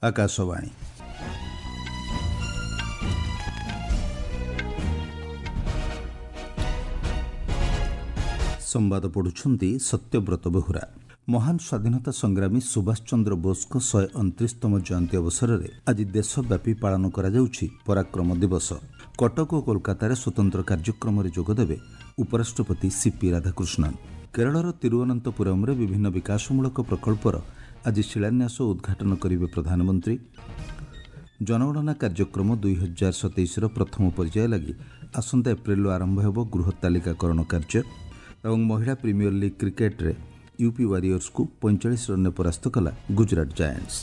ଆକାଶବାଣୀ। ସମ୍ବାଦ ପଢ଼ୁଛନ୍ତି ସତ୍ୟବ୍ରତ ବେହୁରା। ମହାନ ସ୍ୱାଧୀନତା ସଂଗ୍ରାମୀ ସୁଭାଷ ଚନ୍ଦ୍ର ବୋଷଙ୍କ 129ତମ ଜୟନ୍ତୀ ଅବସରରେ ଆଜି ଦେଶବ୍ୟାପୀ ପାଳନ କରାଯାଉଛି ପରାକ୍ରମ ଦିବସ। କଟକ ଓ କୋଲକାତାରେ ସ୍ୱତନ୍ତ୍ର କାର୍ଯ୍ୟକ୍ରମରେ ଯୋଗଦେବେ ଉପରାଷ୍ଟ୍ରପତି ସିପି ରାଧାକୃଷ୍ଣନ୍। କେରଳର ତିରୁଅନନ୍ତପୁରମରେ ବିଭିନ୍ନ ବିକାଶମୂଳକ ପ୍ରକଳ୍ପର ଆଜି ଶିଳାନ୍ୟାସ ଓ ଉଦ୍ଘାଟନ କରିବେ ପ୍ରଧାନମନ୍ତ୍ରୀ। ଜନଗଣନା କାର୍ଯ୍ୟକ୍ରମ 2027ର ପ୍ରଥମ ପର୍ଯ୍ୟାୟ ଲାଗି ଆସନ୍ତା ଏପ୍ରିଲରୁ ଆରମ୍ଭ ହେବ ଗୃହ ତାଲିକାକରଣ କାର୍ଯ୍ୟ। ଏବଂ ମହିଳା ପ୍ରିମିୟର ଲିଗ୍ କ୍ରିକେଟ୍ରେ ୟୁପି ୱାରିୟର୍ସକୁ 45 ରନ୍ରେ ପରାସ୍ତ କଲା ଗୁଜରାଟ ଜାଏଣ୍ଟସ୍।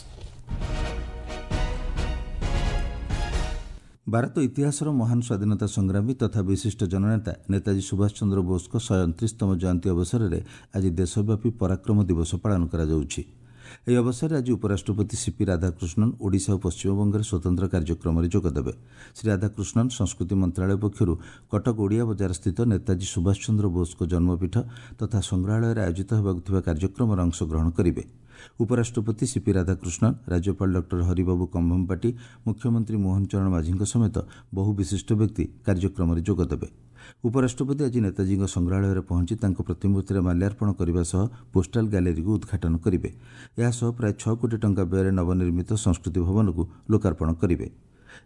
ଭାରତ ଇତିହାସର ମହାନ ସ୍ୱାଧୀନତା ସଂଗ୍ରାମୀ ତଥା ବିଶିଷ୍ଟ ଜନନେତା ନେତାଜୀ ସୁଭାଷ ଚନ୍ଦ୍ର ବୋଷଙ୍କ 129ତମ ଜୟନ୍ତୀ ଅବସରରେ ଆଜି ଦେଶବ୍ୟାପୀ ପରାକ୍ରମ ଦିବସ ପାଳନ କରାଯାଉଛି। ଏହି ଅବସରରେ ଆଜି ଉପରାଷ୍ଟ୍ରପତି ସିପି ରାଧାକୃଷ୍ଣନ୍ ଓଡ଼ିଶା ଓ ପଶ୍ଚିମବଙ୍ଗରେ ସ୍ୱତନ୍ତ୍ର କାର୍ଯ୍ୟକ୍ରମରେ ଯୋଗଦେବେ। ଶ୍ରୀ ରାଧାକୃଷ୍ଣନ୍ ସଂସ୍କୃତି ମନ୍ତ୍ରଣାଳୟ ପକ୍ଷରୁ କଟକ ଓଡ଼ିଆ ବଜାରସ୍ଥିତ ନେତାଜୀ ସୁଭାଷ ଚନ୍ଦ୍ର ବୋଷଙ୍କ ଜନ୍ମପୀଠ ତଥା ସଂଗ୍ରହାଳୟରେ ଆୟୋଜିତ ହେବାକୁ ଥିବା କାର୍ଯ୍ୟକ୍ରମରେ ଅଂଶଗ୍ରହଣ କରିବେ। ଉପରାଷ୍ଟ୍ରପତି ସିପି ରାଧାକୃଷ୍ଣନ୍, ରାଜ୍ୟପାଳ ଡକ୍ଟର ହରିବାବୁ କମ୍ଭମପାଟି, ମୁଖ୍ୟମନ୍ତ୍ରୀ ମୋହନ ଚରଣ ମାଝୀଙ୍କ ସମେତ ବହୁ ବିଶିଷ୍ଟ ବ୍ୟକ୍ତି କାର୍ଯ୍ୟକ୍ରମରେ ଯୋଗଦେବେ। ଉପରାଷ୍ଟ୍ରପତି ଆଜି ନେତାଜୀଙ୍କ ସଂଗ୍ରହାଳୟରେ ପହଞ୍ଚି ତାଙ୍କ ପ୍ରତିମୂର୍ତ୍ତିରେ ମାଲ୍ୟାର୍ପଣ କରିବା ସହ ପୋଷ୍ଟାଲ ଗ୍ୟାଲେରୀକୁ ଉଦ୍ଘାଟନ କରିବେ। ଏହାସହ ପ୍ରାୟ 6 କୋଟି ଟଙ୍କା ବ୍ୟୟରେ ନବନିର୍ମିତ ସଂସ୍କୃତି ଭବନକୁ ଲୋକାର୍ପଣ କରିବେ।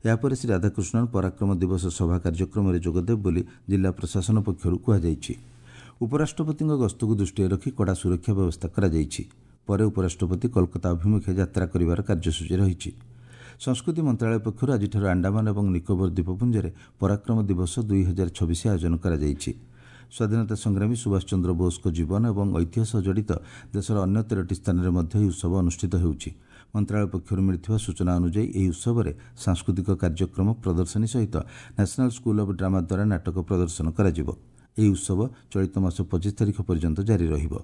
ଏହାପରେ ଶ୍ରୀ ରାଧାକୃଷ୍ଣନ୍ ପରାକ୍ରମ ଦିବସ ସଭା କାର୍ଯ୍ୟକ୍ରମରେ ଯୋଗଦେବେ ବୋଲି ଜିଲ୍ଲା ପ୍ରଶାସନ ପକ୍ଷରୁ କୁହାଯାଇଛି। ଉପରାଷ୍ଟ୍ରପତିଙ୍କ ଗସ୍ତକୁ ଦୃଷ୍ଟିରେ ରଖି କଡ଼ା ସୁରକ୍ଷା ବ୍ୟବସ୍ଥା କରାଯାଇଛି। ପରେ ଉପରାଷ୍ଟ୍ରପତି କୋଲକାତା ଅଭିମୁଖେ ଯାତ୍ରା କରିବାର କାର୍ଯ୍ୟସୂଚୀ ରହିଛି। ସଂସ୍କୃତି ମନ୍ତ୍ରଣାଳୟ ପକ୍ଷରୁ ଆଜିଠାରୁ ଆଣ୍ଡାମାନ ଏବଂ ନିକୋବର ଦ୍ୱୀପପୁଞ୍ଜରେ ପରାକ୍ରମ ଦିବସ 2026 ଆୟୋଜନ କରାଯାଇଛି। ସ୍ୱାଧୀନତା ସଂଗ୍ରାମୀ ସୁଭାଷ ଚନ୍ଦ୍ର ବୋଷଙ୍କ ଜୀବନ ଏବଂ ଐତିହ୍ୟ ସହ ଜଡ଼ିତ ଦେଶର ଅନ୍ୟ 13ଟି ସ୍ଥାନରେ ମଧ୍ୟ ଏହି ଉତ୍ସବ ଅନୁଷ୍ଠିତ ହେଉଛି। ମନ୍ତ୍ରଣାଳୟ ପକ୍ଷରୁ ମିଳିଥିବା ସୂଚନା ଅନୁଯାୟୀ ଏହି ଉତ୍ସବରେ ସାଂସ୍କୃତିକ କାର୍ଯ୍ୟକ୍ରମ, ପ୍ରଦର୍ଶନୀ ସହିତ ନ୍ୟାସନାଲ୍ ସ୍କୁଲ୍ ଅଫ୍ ଡ୍ରାମା ଦ୍ୱାରା ନାଟକ ପ୍ରଦର୍ଶନ କରାଯିବ। ଏହି ଉତ୍ସବ ଚଳିତ ମାସ 25 ତାରିଖ ପର୍ଯ୍ୟନ୍ତ ଜାରି ରହିବ।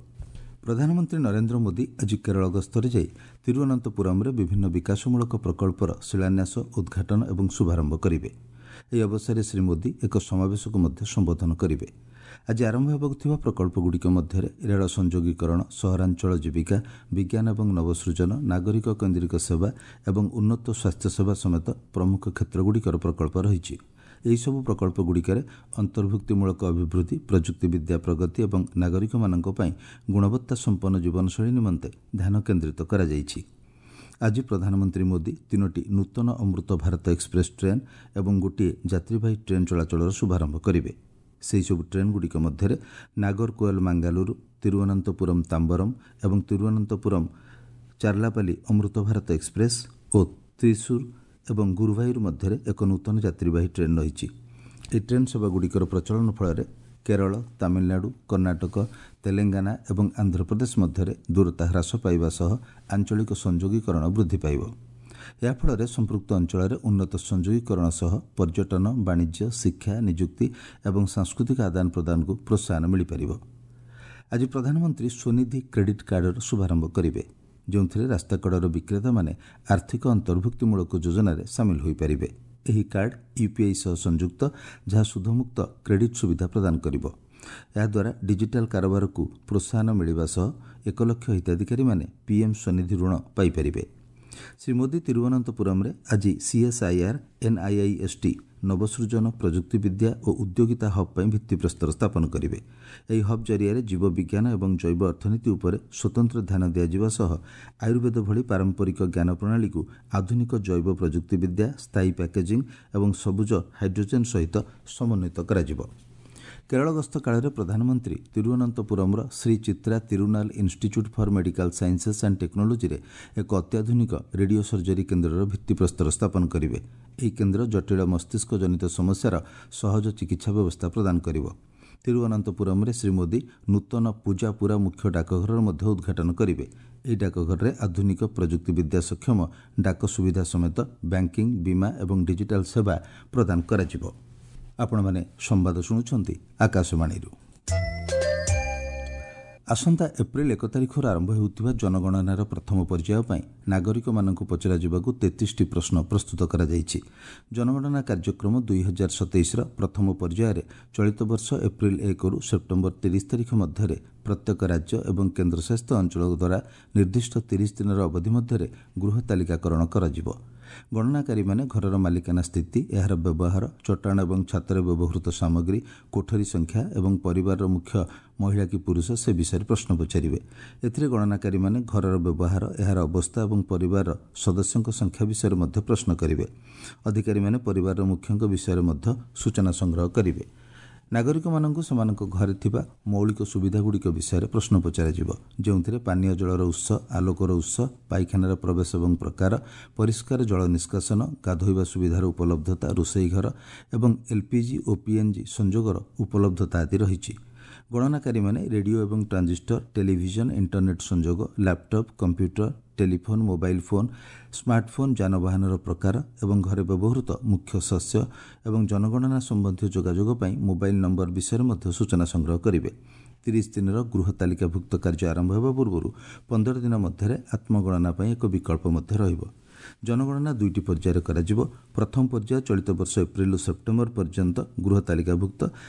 ପ୍ରଧାନମନ୍ତ୍ରୀ ନରେନ୍ଦ୍ର ମୋଦି ଆଜି କେରଳ ଗସ୍ତରେ ଯାଇ ତିରୁଅନନ୍ତପୁରମରେ ବିଭିନ୍ନ ବିକାଶମୂଳକ ପ୍ରକଳ୍ପର ଶିଳାନ୍ୟାସ, ଉଦ୍ଘାଟନ ଏବଂ ଶୁଭାରମ୍ଭ କରିବେ। ଏହି ଅବସରରେ ଶ୍ରୀ ମୋଦି ଏକ ସମାବେଶକୁ ମଧ୍ୟ ସମ୍ବୋଧନ କରିବେ। ଆଜି ଆରମ୍ଭ ହେବାକୁ ଥିବା ପ୍ରକଳ୍ପଗୁଡ଼ିକ ମଧ୍ୟରେ ରେଳ ସଂଯୋଗୀକରଣ, ସହରାଞ୍ଚଳ ଜୀବିକା, ବିଜ୍ଞାନ ଏବଂ ନବସୃଜନ, ନାଗରିକ କେନ୍ଦ୍ରିକ ସେବା ଏବଂ ଉନ୍ନତ ସ୍ୱାସ୍ଥ୍ୟସେବା ସମେତ ପ୍ରମୁଖ କ୍ଷେତ୍ରଗୁଡ଼ିକର ପ୍ରକଳ୍ପ ରହିଛି। ଏହିସବୁ ପ୍ରକଳ୍ପଗୁଡ଼ିକରେ ଅନ୍ତର୍ଭୁକ୍ତିମୂଳକ ଅଭିବୃଦ୍ଧି, ପ୍ରଯୁକ୍ତିବିଦ୍ୟା ପ୍ରଗତି ଏବଂ ନାଗରିକମାନଙ୍କ ପାଇଁ ଗୁଣବତ୍ତା ସମ୍ପନ୍ନ ଜୀବନଶୈଳୀ ନିମନ୍ତେ ଧ୍ୟାନ କେନ୍ଦ୍ରିତ କରାଯାଇଛି। ଆଜି ପ୍ରଧାନମନ୍ତ୍ରୀ ମୋଦି 3ଟି ନୂତନ ଅମୃତ ଭାରତ ଏକ୍ସପ୍ରେସ୍ ଟ୍ରେନ୍ ଏବଂ ଗୋଟିଏ ଯାତ୍ରୀବାହୀ ଟ୍ରେନ୍ ଚଳାଚଳର ଶୁଭାରମ୍ଭ କରିବେ। ସେହିସବୁ ଟ୍ରେନ୍ଗୁଡ଼ିକ ମଧ୍ୟରେ ନାଗରକୋଏଲ ମାଙ୍ଗାଲୁରୁ, ତିରୁଅନନ୍ତପୁରମ୍ ତାମ୍ବରମ୍ ଏବଂ ତିରୁଅନନ୍ତପୁରମ୍ ଚାର୍ଲାପାଲି ଅମୃତ ଭାରତ ଏକ୍ସପ୍ରେସ୍ ଓ ତ୍ରିସୁର ଏବଂ ଗୁରୁଭାୟୁର ମଧ୍ୟରେ ଏକ ନୂତନ ଯାତ୍ରୀବାହୀ ଟ୍ରେନ୍ ରହିଛି। ଏହି ଟ୍ରେନ୍ ସେବାଗୁଡ଼ିକର ପ୍ରଚଳନ ଫଳରେ କେରଳ, ତାମିଲନାଡୁ, କର୍ଣ୍ଣାଟକ, ତେଲେଙ୍ଗାନା ଏବଂ ଆନ୍ଧ୍ରପ୍ରଦେଶ ମଧ୍ୟରେ ଦୂରତା ହ୍ରାସ ପାଇବା ସହ ଆଞ୍ଚଳିକ ସଂଯୋଗୀକରଣ ବୃଦ୍ଧି ପାଇବ। ଏହାଫଳରେ ସମ୍ପୃକ୍ତ ଅଞ୍ଚଳରେ ଉନ୍ନତ ସଂଯୋଗୀକରଣ ସହ ପର୍ଯ୍ୟଟନ, ବାଣିଜ୍ୟ, ଶିକ୍ଷା, ନିଯୁକ୍ତି ଏବଂ ସାଂସ୍କୃତିକ ଆଦାନ ପ୍ରଦାନକୁ ପ୍ରୋତ୍ସାହନ ମିଳିପାରିବ। ଆଜି ପ୍ରଧାନମନ୍ତ୍ରୀ ସ୍ୱନିଧି କ୍ରେଡିଟ୍ କାର୍ଡର ଶୁଭାରମ୍ଭ କରିବେ, ଯେଉଁଥିରେ ରାସ୍ତାକଡ଼ର ବିକ୍ରେତାମାନେ ଆର୍ଥିକ ଅନ୍ତର୍ଭୁକ୍ତିମୂଳକ ଯୋଜନାରେ ସାମିଲ ହୋଇପାରିବେ। ଏହି କାର୍ଡ ୟୁପିଆଇ ସହ ସଂଯୁକ୍ତ, ଯାହା ସୁଧମୁକ୍ତ କ୍ରେଡିଟ୍ ସୁବିଧା ପ୍ରଦାନ କରିବ। ଏହାଦ୍ୱାରା ଡିଜିଟାଲ କାରବାରକୁ ପ୍ରୋତ୍ସାହନ ମିଳିବା ସହ 1 ଲକ୍ଷ ହିତାଧିକାରୀମାନେ ପିଏମ୍ ସ୍ୱନିଧି ଋଣ ପାଇପାରିବେ। ଶ୍ରୀ ମୋଦି ତିରୁଅନନ୍ତପୁରମରେ ଆଜି ସିଏସ୍ଆଇଆର୍ ଏନ୍ଆଇଆଇଏସ୍ଟି ନବସୃଜନ, ପ୍ରଯୁକ୍ତିବିଦ୍ୟା ଓ ଉଦ୍ୟୋଗିତା ହବ୍ ପାଇଁ ଭିତ୍ତିପ୍ରସ୍ତର ସ୍ଥାପନ କରିବେ। ଏହି ହବ୍ ଜରିଆରେ ଜୀବବିଜ୍ଞାନ ଏବଂ ଜୈବ ଅର୍ଥନୀତି ଉପରେ ସ୍ୱତନ୍ତ୍ର ଧ୍ୟାନ ଦିଆଯିବା ସହ ଆୟୁର୍ବେଦ ଭଳି ପାରମ୍ପରିକ ଜ୍ଞାନ ପ୍ରଣାଳୀକୁ ଆଧୁନିକ ଜୈବ ପ୍ରଯୁକ୍ତିବିଦ୍ୟା, ସ୍ଥାୟୀ ପ୍ୟାକେଜିଂ ଏବଂ ସବୁଜ ହାଇଡ୍ରୋଜେନ୍ ସହିତ ସମନ୍ୱିତ କରାଯିବ। କେରଳ ଗସ୍ତ କାଳରେ ପ୍ରଧାନମନ୍ତ୍ରୀ ତିରୁଅନନ୍ତପୁରମର Sree Chitra Tirunal institute for medical sciences and ଟେକ୍ନୋଲୋଜିରେ ଏକ ଅତ୍ୟାଧୁନିକ ରେଡିଓ ସର୍ଜରୀ କେନ୍ଦ୍ରର ଭିତ୍ତିପ୍ରସ୍ତର ସ୍ଥାପନ କରିବେ। ଏହି କେନ୍ଦ୍ର ଜଟିଳ ମସ୍ତିଷ୍କ ଜନିତ ସମସ୍ୟାର ସହଜ ଚିକିତ୍ସା ବ୍ୟବସ୍ଥା ପ୍ରଦାନ କରିବ। ତିରୁଅନନ୍ତପୁରମରେ ଶ୍ରୀ ମୋଦି ନୂତନ ପୂଜାପୁରା ମୁଖ୍ୟ ଡାକଘରର ମଧ୍ୟ ଉଦ୍ଘାଟନ କରିବେ। ଏହି ଡାକଘରରେ ଆଧୁନିକ ପ୍ରଯୁକ୍ତିବିଦ୍ୟା ସକ୍ଷମ ଡାକ ସୁବିଧା ସମେତ ବ୍ୟାଙ୍କିଂ, ବୀମା ଏବଂ ଡିଜିଟାଲ ସେବା ପ୍ରଦାନ କରାଯିବ। ଆପଣମାନେ ସମ୍ବାଦ ଶୁଣୁଛନ୍ତି ଆକାଶବାଣୀରୁ। ଆସନ୍ତା ଏପ୍ରିଲ 1 ତାରିଖରୁ ଆରମ୍ଭ ହେଉଥିବା ଜନଗଣନାର ପ୍ରଥମ ପର୍ଯ୍ୟାୟ ପାଇଁ ନାଗରିକମାନଙ୍କୁ ପଚରାଯିବାକୁ 33ଟି ପ୍ରଶ୍ନ ପ୍ରସ୍ତୁତ କରାଯାଇଛି। ଜନଗଣନା କାର୍ଯ୍ୟକ୍ରମ 2027ର ପ୍ରଥମ ପର୍ଯ୍ୟାୟରେ ଚଳିତ ବର୍ଷ ଏପ୍ରିଲ 1ରୁ ସେପ୍ଟେମ୍ବର 30 ତାରିଖ ମଧ୍ୟରେ ପ୍ରତ୍ୟେକ ରାଜ୍ୟ ଏବଂ କେନ୍ଦ୍ରଶାସିତ ଅଞ୍ଚଳ ଦ୍ୱାରା ନିର୍ଦ୍ଦିଷ୍ଟ 30 ଦିନର ଅବଧି ମଧ୍ୟରେ ଗୃହ ତାଲିକାକରଣ କରାଯିବ। ଗଣନାକାରୀମାନେ ଘରର ମାଲିକାନା ସ୍ଥିତି, ଏହାର ବ୍ୟବହାର, ଚଟାଣ ଏବଂ ଛାତରେ ବ୍ୟବହୃତ ସାମଗ୍ରୀ, କୋଠରୀ ସଂଖ୍ୟା ଏବଂ ପରିବାରର ମୁଖ୍ୟ ମହିଳା କି ପୁରୁଷ ସେ ବିଷୟରେ ପ୍ରଶ୍ନ ପଚାରିବେ। ଏଥିରେ ଗଣନାକାରୀମାନେ ଘରର ବ୍ୟବହାର, ଏହାର ଅବସ୍ଥା ଏବଂ ପରିବାରର ସଦସ୍ୟଙ୍କ ସଂଖ୍ୟା ବିଷୟରେ ମଧ୍ୟ ପ୍ରଶ୍ନ କରିବେ। ଅଧିକାରୀମାନେ ପରିବାରର ମୁଖ୍ୟଙ୍କ ବିଷୟରେ ମଧ୍ୟ ସୂଚନା ସଂଗ୍ରହ କରିବେ। ନାଗରିକମାନଙ୍କୁ ସେମାନଙ୍କ ଘରେ ଥିବା ମୌଳିକ ସୁବିଧାଗୁଡ଼ିକ ବିଷୟରେ ପ୍ରଶ୍ନ ପଚରାଯିବ, ଯେଉଁଥିରେ ପାନୀୟ ଜଳର ଉତ୍ସ, ଆଲୋକର ଉତ୍ସ, ପାଇଖାନାର ପ୍ରବେଶ ଏବଂ ପ୍ରକାର, ପରିଷ୍କାର ଜଳ ନିଷ୍କାସନ, ଗାଧୋଇବା ସୁବିଧାର ଉପଲବ୍ଧତା, ରୋଷେଇ ଘର ଏବଂ ଏଲ୍ପିଜି ଓ ପିଏନ୍ଜି ସଂଯୋଗର ଉପଲବ୍ଧତା ଆଦି ରହିଛି। ଗଣନାକାରୀମାନେ ରେଡିଓ ଏବଂ ଟ୍ରାଞ୍ଜିଷ୍ଟର, ଟେଲିଭିଜନ, ଇଣ୍ଟରନେଟ୍ ସଂଯୋଗ, laptop, computer, telephone, mobile phone, smartphone, ଯାନବାହନର ପ୍ରକାର ଏବଂ ଘରେ ବ୍ୟବହୃତ ମୁଖ୍ୟ ଶସ୍ୟ ଏବଂ ଜନଗଣନା ସମ୍ବନ୍ଧୀୟ ଯୋଗାଯୋଗ ପାଇଁ ମୋବାଇଲ୍ ନମ୍ବର ବିଷୟରେ ମଧ୍ୟ ସୂଚନା ସଂଗ୍ରହ କରିବେ। 30 ଦିନର ଗୃହ ତାଲିକାଭୁକ୍ତ କାର୍ଯ୍ୟ ଆରମ୍ଭ ହେବା ପୂର୍ବରୁ 15 ଦିନ ମଧ୍ୟରେ ଆତ୍ମଗଣନା ପାଇଁ ଏକ ବିକଳ୍ପ ମଧ୍ୟ ରହିବ। ଜନଗଣନା 2ଟି ପର୍ଯ୍ୟାୟରେ କରାଯିବ। ପ୍ରଥମ ପର୍ଯ୍ୟାୟ ଚଳିତ ବର୍ଷ ଏପ୍ରିଲରୁ ସେପ୍ଟେମ୍ବର ପର୍ଯ୍ୟନ୍ତ ଗୃହ ତାଲିକାଭୁକ୍ତ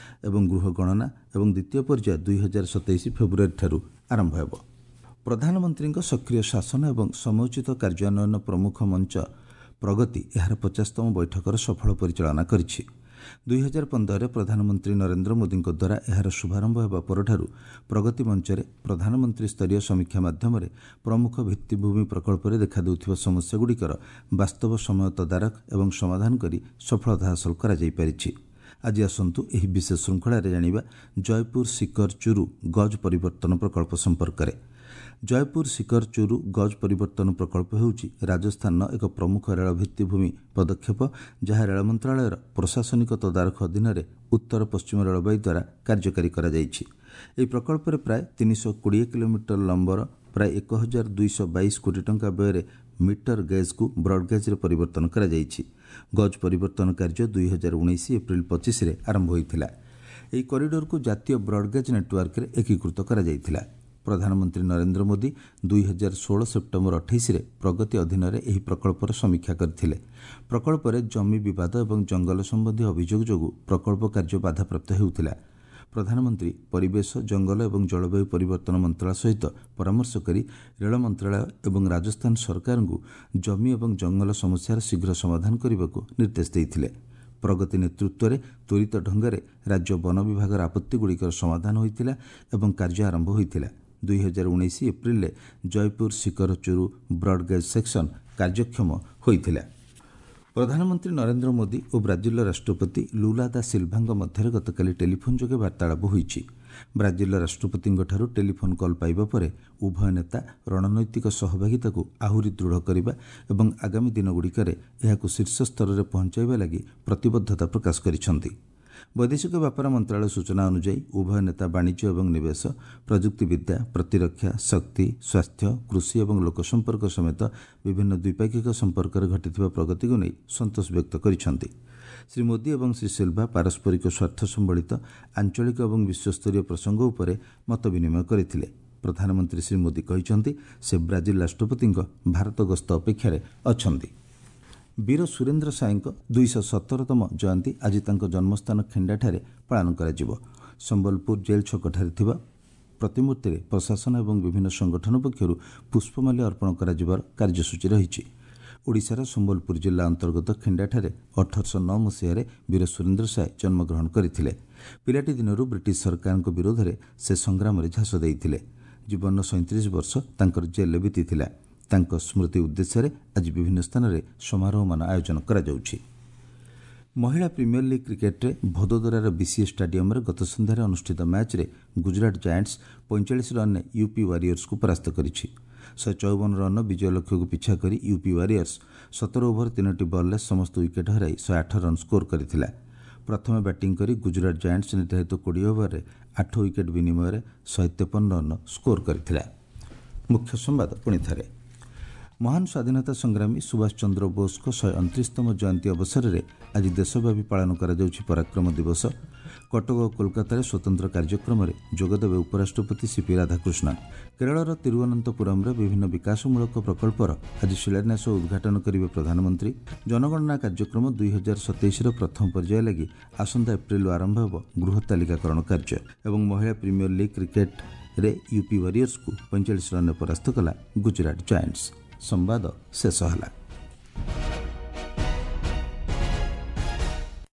ଏବଂ ଗୃହ ଗଣନା ଏବଂ ଦ୍ୱିତୀୟ ପର୍ଯ୍ୟାୟ 2027 ଫେବୃଆରୀଠାରୁ ଆରମ୍ଭ ହେବ। ପ୍ରଧାନମନ୍ତ୍ରୀଙ୍କ ସକ୍ରିୟ ଶାସନ ଏବଂ ସମୟୋଚିତ କାର୍ଯ୍ୟାନ୍ୱୟନ ପ୍ରମୁଖ ମଞ୍ଚ ପ୍ରଗତି ଏହାର 50ତମ ବୈଠକର ସଫଳ ପରିଚାଳନା କରିଛି। 2015ରେ ପ୍ରଧାନମନ୍ତ୍ରୀ ନରେନ୍ଦ୍ର ମୋଦିଙ୍କ ଦ୍ୱାରା ଏହାର ଶୁଭାରମ୍ଭ ହେବା ପରଠାରୁ ପ୍ରଗତି ମଞ୍ଚରେ ପ୍ରଧାନମନ୍ତ୍ରୀ ସ୍ତରୀୟ ସମୀକ୍ଷା ମାଧ୍ୟମରେ ପ୍ରମୁଖ ଭିତ୍ତିଭୂମି ପ୍ରକଳ୍ପରେ ଦେଖାଦେଉଥିବା ସମସ୍ୟାଗୁଡ଼ିକର ବାସ୍ତବ ସମୟ ତଦାରଖ ଏବଂ ସମାଧାନ କରି ସଫଳତା ହାସଲ କରାଯାଇପାରିଛି। ଆଜି ଆସନ୍ତୁ ଏହି ବିଶେଷ ଶୃଙ୍ଖଳାରେ ଜାଣିବା ଜୟପୁର ସିକର ଚୁରୁ ଗଜ୍ ପରିବର୍ତ୍ତନ ପ୍ରକଳ୍ପ ସମ୍ପର୍କରେ। ଜୟପୁର ସିକର ଚୁରୁ ଗଜ୍ ପରିବର୍ତ୍ତନ ପ୍ରକଳ୍ପ ହେଉଛି ରାଜସ୍ଥାନର ଏକ ପ୍ରମୁଖ ରେଳ ଭିତ୍ତିଭୂମି ପଦକ୍ଷେପ, ଯାହା ରେଳ ମନ୍ତ୍ରଣାଳୟର ପ୍ରଶାସନିକ ତଦାରଖ ଅଧୀନରେ ଉତ୍ତର ପଶ୍ଚିମ ରେଳବାଇ ଦ୍ୱାରା କାର୍ଯ୍ୟକାରୀ କରାଯାଇଛି। ଏହି ପ୍ରକଳ୍ପରେ ପ୍ରାୟ 320 କିଲୋମିଟର ଲମ୍ବର ପ୍ରାୟ 1222 କୋଟି ଟଙ୍କା ବ୍ୟୟରେ ମିଟର ଗେଜ୍କୁ ବ୍ରଡ୍ଗେଜ୍ରେ ପରିବର୍ତ୍ତନ କରାଯାଇଛି। ଗଜ୍ ପରିବର୍ତ୍ତନ କାର୍ଯ୍ୟ 2019 ଏପ୍ରିଲ 25ରେ ଆରମ୍ଭ ହୋଇଥିଲା। ଏହି କରିଡରକୁ ଜାତୀୟ ବ୍ରଡ୍ଗେଜ୍ ନେଟୱାର୍କରେ ଏକୀକୃତ କରାଯାଇଥିଲା। ପ୍ରଧାନମନ୍ତ୍ରୀ ନରେନ୍ଦ୍ର ମୋଦି 2016 ସେପ୍ଟେମ୍ବର 28ରେ ପ୍ରଗତି ଅଧୀନରେ ଏହି ପ୍ରକଳ୍ପର ସମୀକ୍ଷା କରିଥିଲେ। ପ୍ରକଳ୍ପରେ ଜମି ବିବାଦ ଏବଂ ଜଙ୍ଗଲ ସମ୍ବନ୍ଧୀୟ ଅଭିଯୋଗ ଯୋଗୁଁ ପ୍ରକଳ୍ପ କାର୍ଯ୍ୟ ବାଧାପ୍ରାପ୍ତ ହେଉଥିଲା। ପ୍ରଧାନମନ୍ତ୍ରୀ ପରିବେଶ, ଜଙ୍ଗଲ ଏବଂ ଜଳବାୟୁ ପରିବର୍ତ୍ତନ ମନ୍ତ୍ରଣାଳୟ ସହିତ ପରାମର୍ଶ କରି ରେଳ ମନ୍ତ୍ରଣାଳୟ ଏବଂ ରାଜସ୍ଥାନ ସରକାରଙ୍କୁ ଜମି ଏବଂ ଜଙ୍ଗଲ ସମସ୍ୟାର ଶୀଘ୍ର ସମାଧାନ କରିବାକୁ ନିର୍ଦ୍ଦେଶ ଦେଇଥିଲେ। ପ୍ରଗତି ନେତୃତ୍ୱରେ ତ୍ୱରିତ ଢଙ୍ଗରେ ରାଜ୍ୟ ବନ ବିଭାଗର ଆପତ୍ତିଗୁଡ଼ିକର ସମାଧାନ ହୋଇଥିଲା ଏବଂ କାର୍ଯ୍ୟ ଆରମ୍ଭ ହୋଇଥିଲା। 2019 ଏପ୍ରିଲରେ ଜୟପୁର ସିକର ଚୁରୁ ବ୍ରଡ୍ଗେଜ୍ ସେକ୍ସନ କାର୍ଯ୍ୟକ୍ଷମ ହୋଇଥିଲା। ପ୍ରଧାନମନ୍ତ୍ରୀ ନରେନ୍ଦ୍ର ମୋଦି ଓ ବ୍ରାଜିଲର ରାଷ୍ଟ୍ରପତି ଲୁଲା ଦା ସିଲଭାଙ୍କ ମଧ୍ୟରେ ଗତକାଲି ଟେଲିଫୋନ୍ ଯୋଗେ ବାର୍ତ୍ତାଳାପ ହୋଇଛି। ବ୍ରାଜିଲର ରାଷ୍ଟ୍ରପତିଙ୍କଠାରୁ ଟେଲିଫୋନ୍ କଲ୍ ପାଇବା ପରେ ଉଭୟ ନେତା ରଣନୈତିକ ସହଭାଗିତାକୁ ଆହୁରି ଦୃଢ଼ କରିବା ଏବଂ ଆଗାମୀ ଦିନଗୁଡ଼ିକରେ ଏହାକୁ ଶୀର୍ଷ ସ୍ତରରେ ପହଞ୍ଚାଇବା ଲାଗି ପ୍ରତିବଦ୍ଧତା ପ୍ରକାଶ କରିଛନ୍ତି। ବୈଦେଶିକ ବ୍ୟାପାର ମନ୍ତ୍ରଣାଳୟ ସୂଚନା ଅନୁଯାୟୀ ଉଭୟ ନେତା ବାଣିଜ୍ୟ ଏବଂ ନିବେଶ, ପ୍ରଯୁକ୍ତିବିଦ୍ୟା, ପ୍ରତିରକ୍ଷା, ଶକ୍ତି, ସ୍ୱାସ୍ଥ୍ୟ, କୃଷି ଏବଂ ଲୋକସମ୍ପର୍କ ସମେତ ବିଭିନ୍ନ ଦ୍ୱିପାକ୍ଷିକ ସମ୍ପର୍କରେ ଘଟିଥିବା ପ୍ରଗତିକୁ ନେଇ ସନ୍ତୋଷ ବ୍ୟକ୍ତ କରିଛନ୍ତି। ଶ୍ରୀ ମୋଦି ଏବଂ ଶ୍ରୀ ସିଲଭା ପାରସ୍ପରିକ ସ୍ୱାର୍ଥ ସମ୍ବଳିତ ଆଞ୍ଚଳିକ ଏବଂ ବିଶ୍ୱସ୍ତରୀୟ ପ୍ରସଙ୍ଗ ଉପରେ ମତ ବିନିମୟ କରିଥିଲେ। ପ୍ରଧାନମନ୍ତ୍ରୀ ଶ୍ରୀ ମୋଦି କହିଛନ୍ତି, ସେ ବ୍ରାଜିଲ ରାଷ୍ଟ୍ରପତିଙ୍କ ଭାରତ ଗସ୍ତ ଅପେକ୍ଷାରେ ଅଛନ୍ତି। ବୀର ସୁରେନ୍ଦ୍ର ସାଏଙ୍କ 217ତମ ଜୟନ୍ତୀ ଆଜି ତାଙ୍କ ଜନ୍ମସ୍ଥାନ ଖିଣ୍ଡାଠାରେ ପାଳନ କରାଯିବ। ସମ୍ବଲପୁର ଜେଲ୍ ଛକଠାରେ ଥିବା ପ୍ରତିମୂର୍ତ୍ତିରେ ପ୍ରଶାସନ ଏବଂ ବିଭିନ୍ନ ସଂଗଠନ ପକ୍ଷରୁ ପୁଷ୍ପମାଲ୍ୟ ଅର୍ପଣ କରାଯିବାର କାର୍ଯ୍ୟସୂଚୀ ରହିଛି। ଓଡ଼ିଶାର ସମ୍ବଲପୁର ଜିଲ୍ଲା ଅନ୍ତର୍ଗତ ଖିଣ୍ଡାଠାରେ 1809 ମସିହାରେ ବୀର ସୁରେନ୍ଦ୍ର ସାଏ ଜନ୍ମଗ୍ରହଣ କରିଥିଲେ। ପିଲାଟି ଦିନରୁ ବ୍ରିଟିଶ ସରକାରଙ୍କ ବିରୋଧରେ ସେ ସଂଗ୍ରାମରେ ଝାସ ଦେଇଥିଲେ। ଜୀବନର 37 ବର୍ଷ ତାଙ୍କର ଜେଲ୍ରେ ବିତିଥିଲା। ତାଙ୍କ ସ୍ମୃତି ଉଦ୍ଦେଶ୍ୟରେ ଆଜି ବିଭିନ୍ନ ସ୍ଥାନରେ ସମାରୋହମାନ ଆୟୋଜନ କରାଯାଉଛି। ମହିଳା ପ୍ରିମିୟର ଲିଗ୍ କ୍ରିକେଟ୍ରେ ଭଦୋଦରାର ବିସିଏ ଷ୍ଟାଡିୟମ୍ରେ ଗତ ସନ୍ଧ୍ୟାରେ ଅନୁଷ୍ଠିତ ମ୍ୟାଚ୍ରେ ଗୁଜରାଟ ଜାଏଣ୍ଟସ୍ 45 ରନ୍ରେ ୟୁପି ୱାରିୟର୍ସକୁ ପରାସ୍ତ କରିଛି। 154 ରନ୍ର ବିଜୟ ଲକ୍ଷ୍ୟକୁ ପିଛା କରି ୟୁପି ୱାରିୟର୍ସ 17 ଓଭର 3ଟି ବଲ୍ରେ ସମସ୍ତ ୱିକେଟ୍ ହରାଇ 108 ରନ୍ ସ୍କୋର କରିଥିଲା। ପ୍ରଥମେ ବ୍ୟାଟିଂ କରି ଗୁଜରାଟ ଜାଏଣ୍ଟସ୍ ନିର୍ଦ୍ଧାରିତ 20 ଓଭରରେ 8 ୱିକେଟ୍ ବିନିମୟରେ 153 ରନ୍ ସ୍କୋର କରିଥିଲା। ମୁଖ୍ୟ ସମ୍ବାଦ ପୁଣି ଥରେ। ମହାନ ସ୍ୱାଧୀନତା ସଂଗ୍ରାମୀ ସୁଭାଷ ଚନ୍ଦ୍ର ବୋଷଙ୍କ 129ତମ ଜୟନ୍ତୀ ଅବସରରେ ଆଜି ଦେଶବ୍ୟାପୀ ପାଳନ କରାଯାଉଛି ପରାକ୍ରମ ଦିବସ। କଟକ ଓ କୋଲକାତାରେ ସ୍ୱତନ୍ତ୍ର କାର୍ଯ୍ୟକ୍ରମରେ ଯୋଗଦେବେ ଉପରାଷ୍ଟ୍ରପତି ସିପି ରାଧାକୃଷ୍ଣନ। କେରଳର ତିରୁଅନନ୍ତପୁରମରେ ବିଭିନ୍ନ ବିକାଶମୂଳକ ପ୍ରକଳ୍ପର ଆଜି ଶିଳାନ୍ୟାସ ଓ ଉଦ୍ଘାଟନ କରିବେ ପ୍ରଧାନମନ୍ତ୍ରୀ। ଜନଗଣନା କାର୍ଯ୍ୟକ୍ରମ 2027ର ପ୍ରଥମ ପର୍ଯ୍ୟାୟ ଲାଗି ଆସନ୍ତା ଏପ୍ରିଲରୁ ଆରମ୍ଭ ହେବ ଗୃହ ତାଲିକାକରଣ କାର୍ଯ୍ୟ। ଏବଂ ମହିଳା ପ୍ରିମିୟର ଲିଗ୍ କ୍ରିକେଟ୍ରେ ୟୁପି ୱାରିୟର୍ସକୁ 45 ରନ୍ରେ ପରାସ୍ତ କଲା ଗୁଜରାଟ ଜାଏଣ୍ଟସ୍। ସମ୍ବାଦ ଶେଷ ହେଲା।